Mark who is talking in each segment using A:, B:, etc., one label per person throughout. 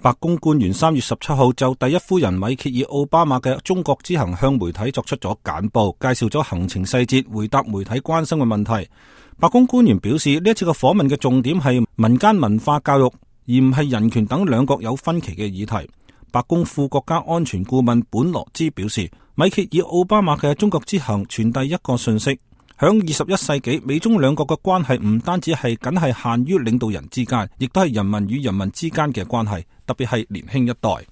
A: 白宮官員3月17號就第一夫人米歇爾奧巴馬嘅中國之行向媒體作出咗簡報，介紹咗行程細節，回答媒體關心嘅問題。白宮官員表示，呢一次嘅訪問嘅重點係民間文化教育，而唔係人權等兩國有分歧嘅議題。白宮副國家安全顧問本羅茲表示，米歇爾奧巴馬嘅中國之行傳遞一個信息，響21世紀，美中兩國嘅關係唔單止係僅係限於領導人之間，亦都係人民與人民之間嘅關係，特別係年輕一代。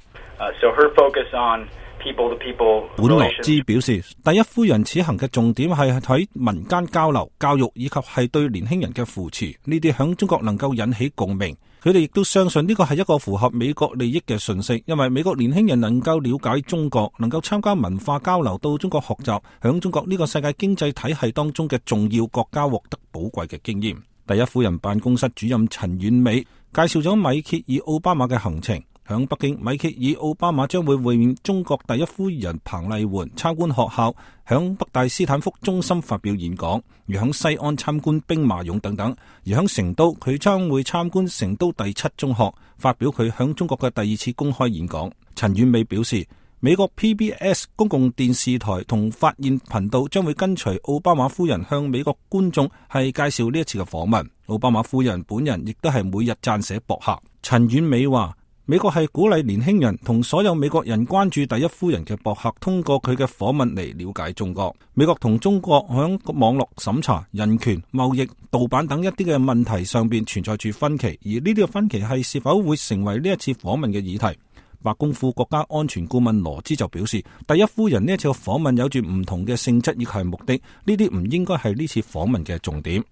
A: 本羅茲表示，第一夫人此行嘅重點係喺民間交流、教育以及係對年輕人嘅扶持，呢啲響中國能夠引起共鳴。佢哋亦都相信呢個係一個符合美國利益嘅訊息，因為美國年輕人能夠了解中國，能夠參加文化交流，到中國學習，響中國呢個世界經濟體系當中嘅重要國家獲得寶貴嘅經驗。第一夫人辦公室主任陳婉美介紹咗米歇爾奧巴馬嘅行程。響北京，米歇爾奧巴馬將會會面中國第一夫人彭麗媛，參觀學校，響北大斯坦福中心發表演講，而響西安參觀兵馬俑等等。而響成都，佢將會參觀成都第7中學，發表佢響中國嘅第2次公開演講。陳婉美表示，美國 PBS 公共電視台同發現頻道將會跟隨奧巴馬夫人向美國觀眾係介紹呢一次嘅訪問。奧巴馬夫人本人亦都係每日撰寫博客。陳婉美話，美國係鼓勵年輕人同所有美國人關注第一夫人嘅博客，通過佢嘅訪問嚟了解中國。美國同中國響網絡審查、人權、貿易、盜版等一啲嘅問題上邊存在住分歧，而呢啲嘅分歧係是否會成為呢一次訪問嘅議題。白宮副國家安全顧問羅茲就表示，第一夫人呢一次嘅訪問有住唔同嘅性質以及係目的，呢啲唔應該係呢次訪問嘅重點。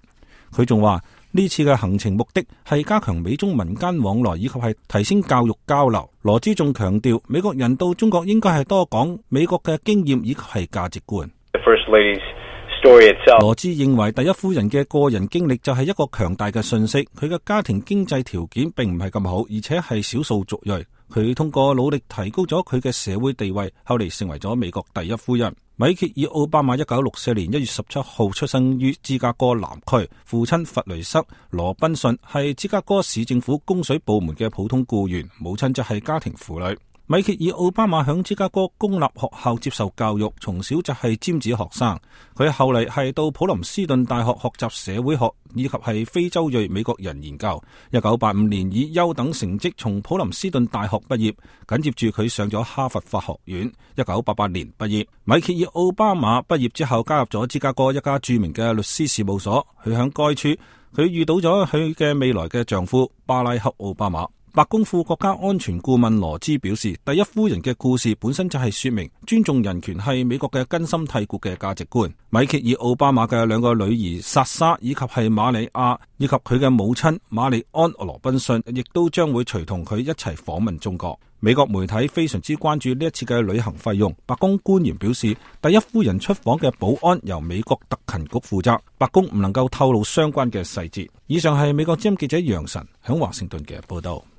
A: 佢仲話，呢次嘅行程目的係加強美中民間往來以及係提升教育交流。羅茲仲強調，美國人到中國應該係多講美國嘅經驗以及係價值觀。羅茲認為第一夫人嘅個人經歷就係一個強大嘅信息，佢嘅家庭經濟條件並唔係咁好，而且係少數族裔。佢通過努力提高咗佢嘅社會地位，後嚟成為咗美國第一夫人。米歇爾奧巴馬1964年1月17號出生於芝加哥南區，父親弗雷瑟·羅賓遜係芝加哥市政府供水部門嘅普通僱員，母親則係家庭婦女。米歇爾奧巴馬響芝加哥公立學校接受教育，從小就係尖子學生。佢後嚟係到普林斯頓大學學習社會學以及係非洲裔美國人研究。1985年以優等成績從普林斯頓大學畢業，緊接住佢上咗哈佛法學院。1988年畢業。米歇爾奧巴馬畢業之後加入咗芝加哥一家著名嘅律師事務所。佢響該處，佢遇到咗佢嘅未來嘅丈夫巴拉克奧巴馬。白宮副國家安全顧問羅茲表示，第一夫人嘅故事本身就係說明尊重人權係美國嘅根深蒂固嘅價值觀。米歇爾奧巴馬嘅兩個女兒薩莎以及係瑪里亞以及佢嘅母親瑪麗安羅賓遜亦都將會隨同佢一齊訪問中國。美國媒體非常之關注呢一次嘅旅行費用。白宮官員表示，第一夫人出訪嘅保安由美國特勤局負責，白宮唔能夠透露相關嘅細節。以上係美國之音記者楊晨響華盛頓嘅報道。